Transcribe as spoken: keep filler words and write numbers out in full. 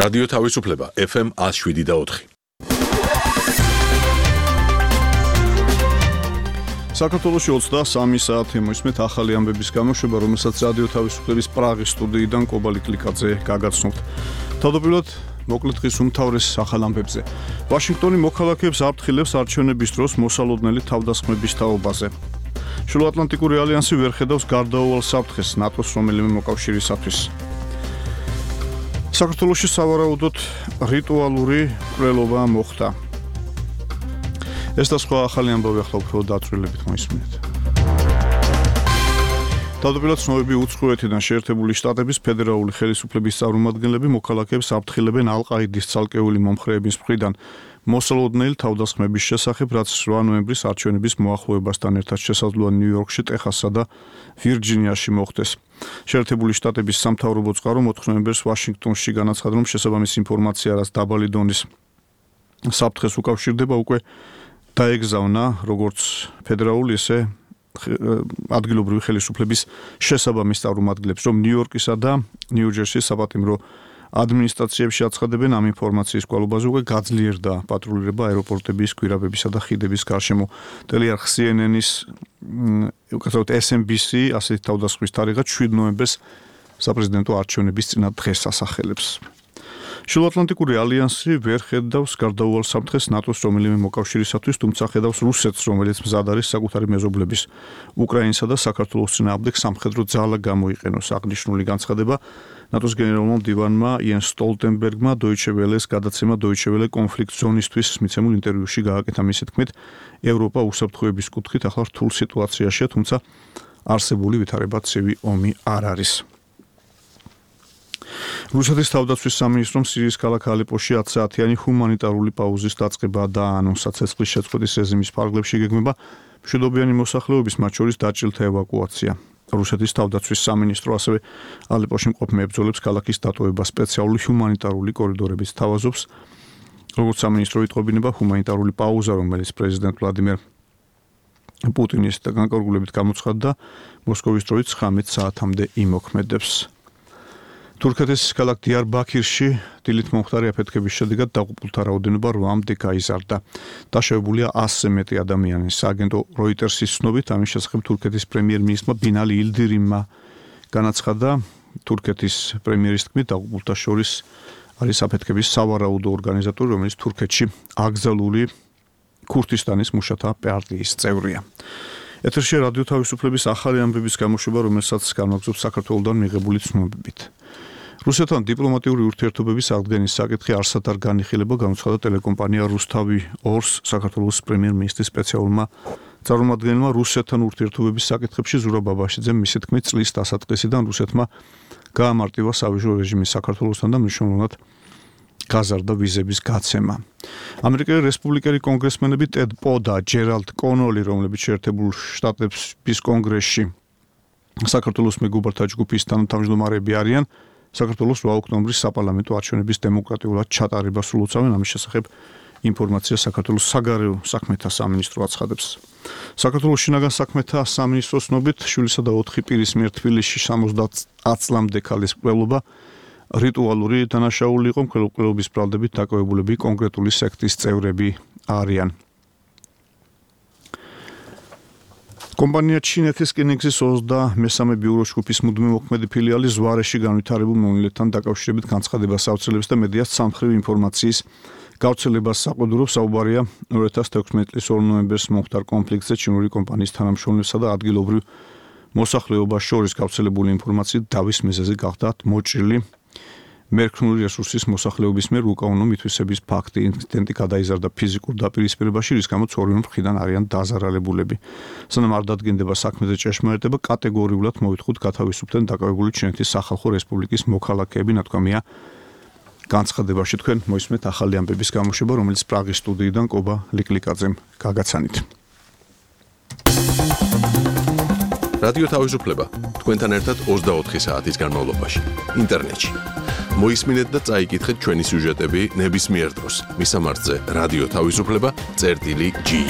რადიო თავისუფლება ეფ ემ one oh seven და four. საქართველოში ოცდასამი საათი მოისმენთ ახალი ამბების გამოშვება, რომელსაც რადიო თავისუფლების პრაღის სტუდიიდან კობა ლიკლიკაძე გაგაცნობთ. თავდაპირველად მოკლედ დღის უმთავრეს ახალ ამბებზე. ვაშინგტონი მოქალაქეებს აფრთხილებს არჩევნების დროს მოსალოდნელი თავდასხმების თაობაზე. შუაატლანტიკური ალიანსი ვერ ხედავს გარდაუვალ საფრთხეს ნატოს რომელიმე მოკავშირისათვის. საქართველოში სავარაუდოდ რიტუალური მკვლელობა მოხდა. ეს და სხვა ახალი ამბავი ახლა უფრო დაწვრილებით მოისმინეთ. თავდაპირველად ცნობები უცხოეთიდან შეერთებული შტატების ფედერალური ხელისუფლების წარმომადგენლები მოქალაქეებს აფრთხილებენ ალ-ყაიდის ცალკეული მომხრეების მხრიდან მოსალოდნელი თავდასხმების შესახებ, რაც რვა ნოემბრის არჩევნების მოახლოებასთან ერთად შესაძლოა ნიუ-იორკში, ტეხასსა და ვირჯინიაში მოხდეს. შეერთებული შტატების სამთავრობო წყარო ოთხ ნოემბერს ვაშინგტონში განაცხადა, რომ შესაბამის ინფორმაცია, რაც დაბალი დონის საფრთხეს უკავშირდება, უკვე დაეგზავნა როგორც ფედერალური, ისე ადგილობრივი ხელისუფლების შესაბამის წარმომადგენლებს, რომ ნიუ-იორკისა და ნიუ-ჯერსის საპატიმრო ადმინისტრაციებში აცხადებენ ამ ინფორმაციის გვალობაზე, უკვე გაძლიერდა პატრულირება აეროპორტების, გვირაბებისა და ხიდების გარშემო. ტელეარხ სი ენ ენის, უკეთებად ეს ემ ბი სი ასეთი თავდასხმის თარიღად შვიდ ნოემბერს საპრეზიდენტო არჩევნების წინა დღეს ასახელებს. შუაატლანტიკური ალიანსი ვერ ხედავს გარდაუვალ საფრთხეს ნატოს რომელიმე მოკავშირისათვის, თუმცა ხედავს რუსეთს, რომელიც მზად არის საკუთარი მეზობლების უკრაინისა და საქართველოს წინააღმდეგ სამხედრო ძალა გამოიყენოს. აღნიშნული განცხადება ნატოს გენერალურმა მდივანმა იენს სტოლტენბერგმა დოიჩე ველეს გადაცემა დოიჩე ველე კონფლიქტ ზონისთვის მიცემულ ინტერვიუში გააკეთა. მისი თქმით, ევროპა უსაფრთხოების კუთხით ახლა რთულ სიტუაციაშია, თუმცა არსებული ვითარება ცივი ომი არ არის. რუსეთის თავდაცვის სამინისტრომ სირიის ქალაქ ალეპოში ათი საათიანი ჰუმანიტარული პაუზის დაწყება დაანონსა. ცეცხლის შეწყვეტის რეჟიმის ფარგლებში გეგმება მშვიდობიანი მოსახლეობის, მათ შორის დაჭრილთა ევაკუაცია. რუსეთის თავდაცვის სამინისტრო ასევე ალეპოში მყოფ მებრძოლებს ქალაქის დატოვება სპეციალური ჰუმანიტარული კორიდორებით თავაზობს. როგორც სამინისტრო იტყობინება, ჰუმანიტარული პაუზა, რომელიც პრეზიდენტ ვლადიმერ პუტინის განკარგულებით გამოცხადდა, მოსკოვის დროით ცხრამეტ საათამდე იმოქმედებს. თურქეთის ქალაქ დიარბაქირში დილით მომხდარი აფეთქების შედეგად დაღუპულთა რაოდენობა რვამდე გაიზარდა. დაშავებულია ასზე მეტი ადამიანი. სააგენტო როიტერსის ცნობით, ამის შესახებ თურქეთის პრემიერ-მინისტრმა ბინალი ილდირიმმა განაცხადა. თურქეთის პრემიერის თქმით, დაღუპულთა შორის არის აფეთქების სავარაუდო ორგანიზატორი, რომელიც თურქეთში აკრძალული ქურთისტანის მუშათა პარტიის წევრია. ეთერში რადიო თავისუფლების ახალი ამბების გამოშვება, რომელსაც განვაგრძობს საქართველოდან მიღებული ცნობებით. რუსეთთან დიპლომატიური ურთიერთობების აღდგენის საკითხი არსად არ განიხილება, გამოცხადდა ტელეკომპანია რუსთავი ორს საქართველოს პრემიერ-მინისტრის სპეციალურმა წარმომადგენელმა. რუსეთთან ურთიერთობების საკითხებში ზურაბ აბაშიძემ მისი თქმით, წლის დასაწყისიდან რუსეთმა გაამარტივა სავიზრო რეჟიმი საქართველოსთან და მნიშვნელოვნად გაზარდა ვიზების გაცემა. ამერიკელი რესპუბლიკელი კონგრესმენები ტედ პო და ჯერალდ კონოლი, რომლებიც შეერთებულ შტატების კონგრესში საქართველოს მეგობართა ჯგუფის თანათავმჯდომარეები არიან, საქართველოს რვა ოქტომბრის საპარლამენტო არჩევნების დემოკრატიულად ჩატარებას სულოცავენ. ამის შესახებ ინფორმაცია საქართველოს საგარეო საქმეთა სამინისტრო აცხადებს. საქართველოს შინაგან საქმეთა სამინისტროს ცნობით, შვილისა და ოთხი პირის მიერ თბილისში ოცდაათი წლამდე ქალის მკვლელობა რიტუალური დანაშაული იყო. მკვლელობის ბრალდებით დაკავებულები კონკრეტული სექტის წევრები არიან. კომპანია ჩინეთის რკინიგზის ოცდამესამე ბიურო ჯგუფის მუდმივი მოქმედი ფილიალი ზვარეში განვითარებულ მონოლითთან დაკავშირებით განცხადებას აუცილებს და მედიას სამხრივი ინფორმაციის გავრცელებას საყდურობს. საუბარია ორი ათას თექვსმეტი წლის ორი ნოემბერს მომხდარ კონფლიქტზე ჩინური კომპანიის თანამშრომლებსა და ადგილობრივ მოსახლეობას შორის გავრცელებული ინფორმაციით დავის მიზეზი გახდა მოჭრილი მერქნული რესურსის მოსახლეობის მიერ უკანონო მითვისების ფაქტი. ინციდენტი გადაიზარდა ფიზიკურ დაპირისპირებაში, რის გამოც ორივე მხრიდან არიან დაზარალებულები. სანამ არ დადგენდება საქმეზე ჭეშმარიტება, კატეგორიულად მოვითხოვთ გათავისუფლდნენ დაკავებული ჩინეთის სახალხო რესპუბლიკის მოქალაქეები, ნათქვამია განცხადებაში. თქვენ მოისმენთ ახალი ამბების გამოშვება, რომელიც პრაღის სტუდიიდან კობა ლიკლიკაძემ გაგაცანით. რადიო თავისუფლება თქვენთან ერთად ოცდაოთხი საათის განმავლობაში ინტერნეტში. მოისმინეთ და წაიკითხეთ ჩვენი სიუჟეტები ნებისმიერ დროს. მისამართზე რადიო თავისუფლება წერტილი ჯი.